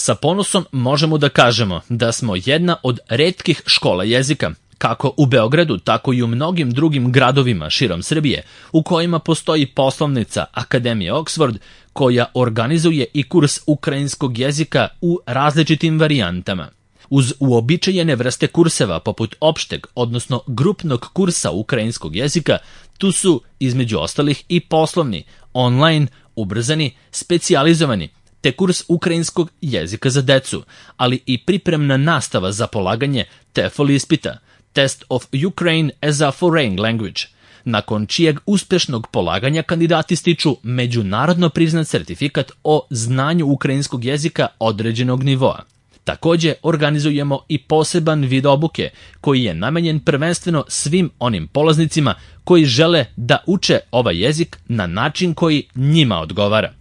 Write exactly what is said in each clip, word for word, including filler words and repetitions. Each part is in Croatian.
Sa ponosom možemo da kažemo da smo jedna od retkih škola jezika, kako u Beogradu, tako i u mnogim drugim gradovima širom Srbije, u kojima postoji poslovnica Akademije Oxford, koja organizuje i kurs ukrajinskog jezika u različitim varijantama. Uz uobičajene vrste kurseva poput opšteg, odnosno grupnog kursa ukrajinskog jezika, tu su, između ostalih, i poslovni, online, ubrzani, specijalizovani, te kurs ukrajinskog jezika za decu, ali i pripremna nastava za polaganje TEFL ispita, Test of Ukraine as a Foreign Language, nakon čijeg uspešnog polaganja kandidati stiču međunarodno priznat sertifikat o znanju ukrajinskog jezika određenog nivoa. Takođe, organizujemo i poseban vid obuke koji je namenjen prvenstveno svim onim polaznicima koji žele da uče ovaj jezik na način koji njima odgovara.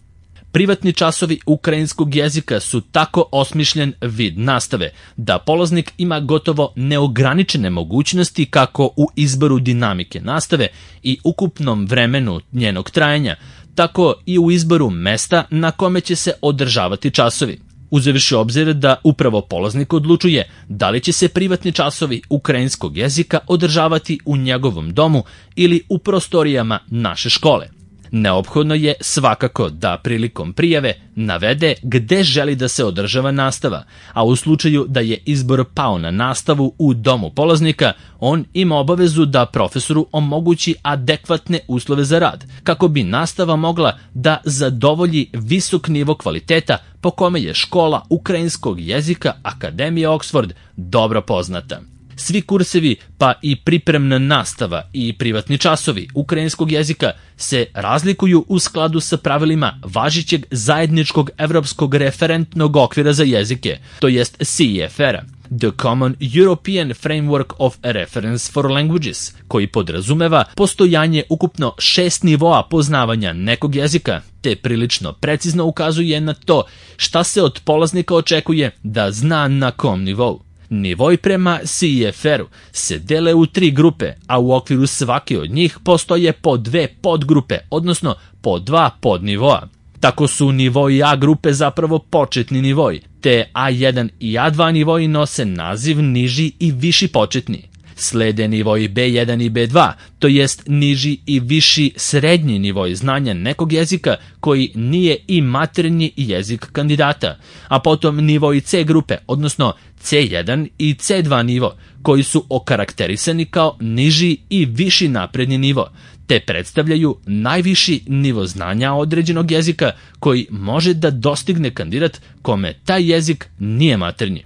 Privatni časovi ukrajinskog jezika su tako osmišljen vid nastave da polaznik ima gotovo neograničene mogućnosti kako u izboru dinamike nastave i ukupnom vremenu njenog trajanja, tako i u izboru mesta na kome će se održavati časovi. Uzevši obzir da upravo polaznik odlučuje da li će se privatni časovi ukrajinskog jezika održavati u njegovom domu ili u prostorijama naše škole. Neophodno je svakako da prilikom prijave navede gde želi da se održava nastava, a u slučaju da je izbor pao na nastavu u domu polaznika, on ima obavezu da profesoru omogući adekvatne uslove za rad, kako bi nastava mogla da zadovolji visok nivo kvaliteta po kome je škola ukrajinskog jezika Akademije Oxford dobro poznata. Svi kursevi, pa i pripremna nastava i privatni časovi ukrajinskog jezika se razlikuju u skladu sa pravilima važećeg zajedničkog evropskog referentnog okvira za jezike, to jest C E F R-a, The Common European Framework of Reference for Languages, koji podrazumeva postojanje ukupno šest nivoa poznavanja nekog jezika, te prilično precizno ukazuje na to šta se od polaznika očekuje da zna na kom nivou. Nivoi prema C E F R-u se dele u tri grupe, a u okviru svake od njih postoje po dve podgrupe, odnosno po dva podnivoa. Tako su nivoi A grupe zapravo početni nivoi, te A jedan i A dva nivoi nose naziv niži i viši početni. Slede nivoi B jedan i B dva, to jest niži i viši srednji nivoi znanja nekog jezika koji nije i maternji jezik kandidata, a potom nivoi C grupe, odnosno C jedan i C dva nivo, koji su okarakterisani kao niži i viši napredni nivo, te predstavljaju najviši nivo znanja određenog jezika koji može da dostigne kandidat kome taj jezik nije maternji.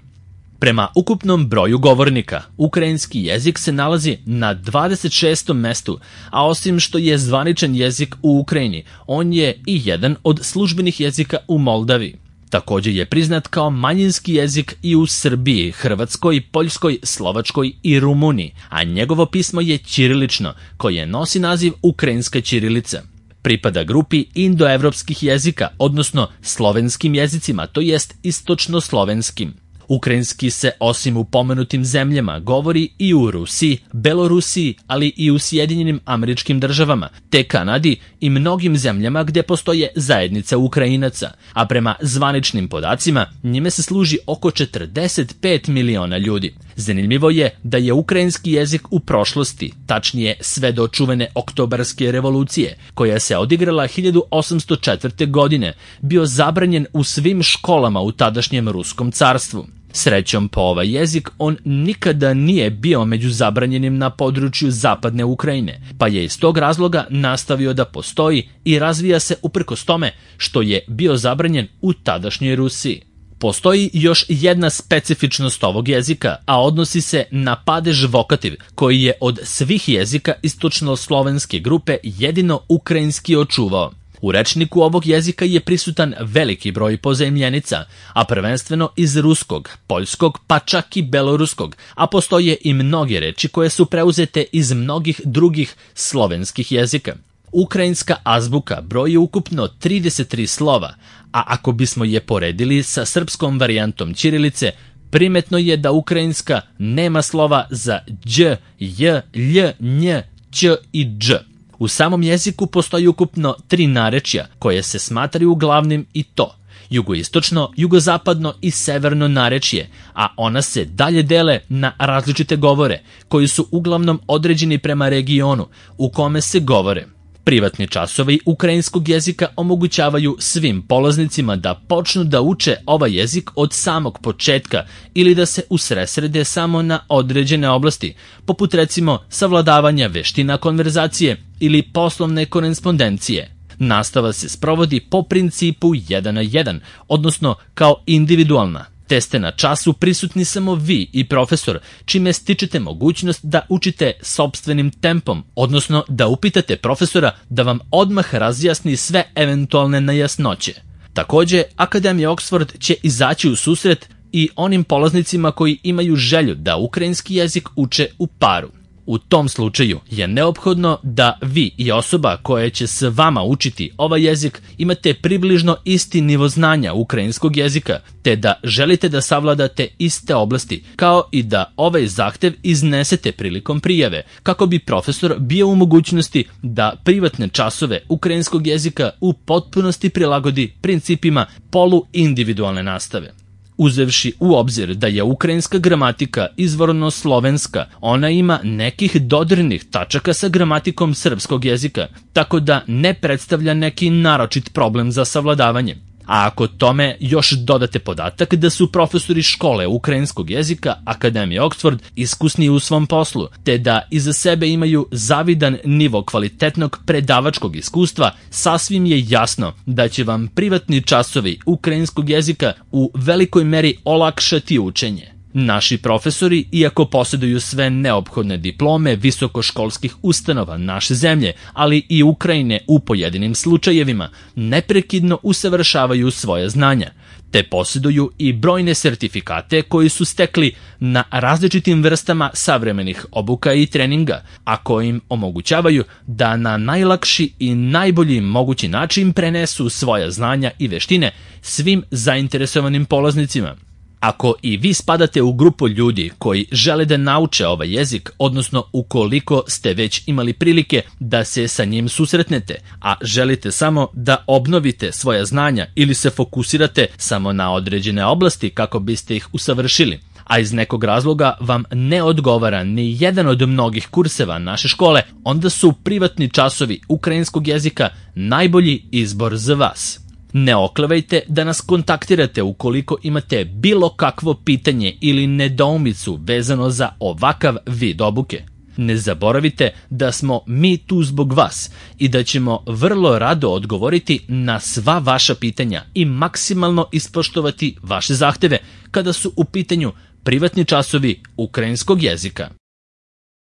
Prema ukupnom broju govornika, ukrajinski jezik se nalazi na dvadeset šestom mestu, a osim što je zvaničan jezik u Ukrajini, on je i jedan od službenih jezika u Moldavi. Takođe je priznat kao manjinski jezik i u Srbiji, Hrvatskoj, Poljskoj, Slovačkoj i Rumuniji, a njegovo pismo je ćirilično, koje nosi naziv ukrajinska ćirilica. Pripada grupi indoevropskih jezika, odnosno slovenskim jezicima, to jest istočno-slovenskim. Ukrajinski se osim u pomenutim zemljama govori i u Rusiji, Belorusiji, ali i u Sjedinjenim Američkim Državama, te Kanadi i mnogim zemljama gde postoje zajednica Ukrajinaca, a prema zvaničnim podacima njime se služi oko četrdeset pet miliona ljudi. Zanimljivo je da je ukrajinski jezik u prošlosti, tačnije sve do čuvene Oktobarske revolucije, koja se odigrala hiljadu osamsto četvrte. godine, bio zabranjen u svim školama u tadašnjem Ruskom carstvu. Srećom po ovaj jezik, on nikada nije bio među zabranjenim na području zapadne Ukrajine, pa je iz tog razloga nastavio da postoji i razvija se uprkos tome što je bio zabranjen u tadašnjoj Rusiji. Postoji još jedna specifičnost ovog jezika, a odnosi se na padež vokativ, koji je od svih jezika istočno-slovenske grupe jedino ukrajinski očuvao. U rečniku ovog jezika je prisutan veliki broj pozajmljenica, a prvenstveno iz ruskog, poljskog, pa čak i beloruskog, a postoje i mnoge reči koje su preuzete iz mnogih drugih slovenskih jezika. Ukrajinska azbuka broji ukupno trideset tri slova, a ako bismo je poredili sa srpskom varijantom ćirilice, primetno je da ukrajinska nema slova za đ, j, lj, nj, ć i dž. U samom jeziku postoji ukupno tri narečja koje se smatraju glavnim i to jugoistočno, jugozapadno i severno narečje, a ona se dalje dele na različite govore, koji su uglavnom određeni prema regionu u kome se govore. Privatni časovi ukrajinskog jezika omogućavaju svim polaznicima da počnu da uče ovaj jezik od samog početka ili da se usredsrede samo na određene oblasti, poput recimo savladavanja veština konverzacije ili poslovne korespondencije. Nastava se sprovodi po principu jedan na jedan, odnosno kao individualna, te ste na času prisutni samo vi i profesor, čime stičete mogućnost da učite sopstvenim tempom, odnosno da upitate profesora da vam odmah razjasni sve eventualne nejasnoće. Takođe, Akademija Oxford će izaći u susret i onim polaznicima koji imaju želju da ukrajinski jezik uče u paru. U tom slučaju je neophodno da vi i osoba koja će s vama učiti ovaj jezik imate približno isti nivo znanja ukrajinskog jezika, te da želite da savladate iste oblasti, kao i da ovaj zahtev iznesete prilikom prijave, kako bi profesor bio u mogućnosti da privatne časove ukrajinskog jezika u potpunosti prilagodi principima poluindividualne nastave. Uzevši u obzir da je ukrajinska gramatika izvorno slovenska, ona ima nekih dodirnih tačaka sa gramatikom srpskog jezika, tako da ne predstavlja neki naročit problem za savladavanje. A ako tome još dodate podatak da su profesori škole ukrajinskog jezika Akademije Oxford iskusni u svom poslu, te da iza sebe imaju zavidan nivo kvalitetnog predavačkog iskustva, sasvim je jasno da će vam privatni časovi ukrajinskog jezika u velikoj meri olakšati učenje. Naši profesori, iako posjeduju sve neophodne diplome visokoškolskih ustanova naše zemlje, ali i Ukrajine u pojedinim slučajevima, neprekidno usavršavaju svoje znanja, te posjeduju i brojne sertifikate koji su stekli na različitim vrstama savremenih obuka i treninga, a koji im omogućavaju da na najlakši i najbolji mogući način prenesu svoja znanja i veštine svim zainteresovanim polaznicima. Ako i vi spadate u grupu ljudi koji žele da nauče ovaj jezik, odnosno ukoliko ste već imali prilike da se sa njim susretnete, a želite samo da obnovite svoja znanja ili se fokusirate samo na određene oblasti kako biste ih usavršili, a iz nekog razloga vam ne odgovara ni jedan od mnogih kurseva naše škole, onda su privatni časovi ukrajinskog jezika najbolji izbor za vas. Ne oklevajte da nas kontaktirate ukoliko imate bilo kakvo pitanje ili nedoumicu vezano za ovakav vid obuke. Ne zaboravite da smo mi tu zbog vas i da ćemo vrlo rado odgovoriti na sva vaša pitanja i maksimalno ispoštovati vaše zahteve kada su u pitanju privatni časovi ukrajinskog jezika.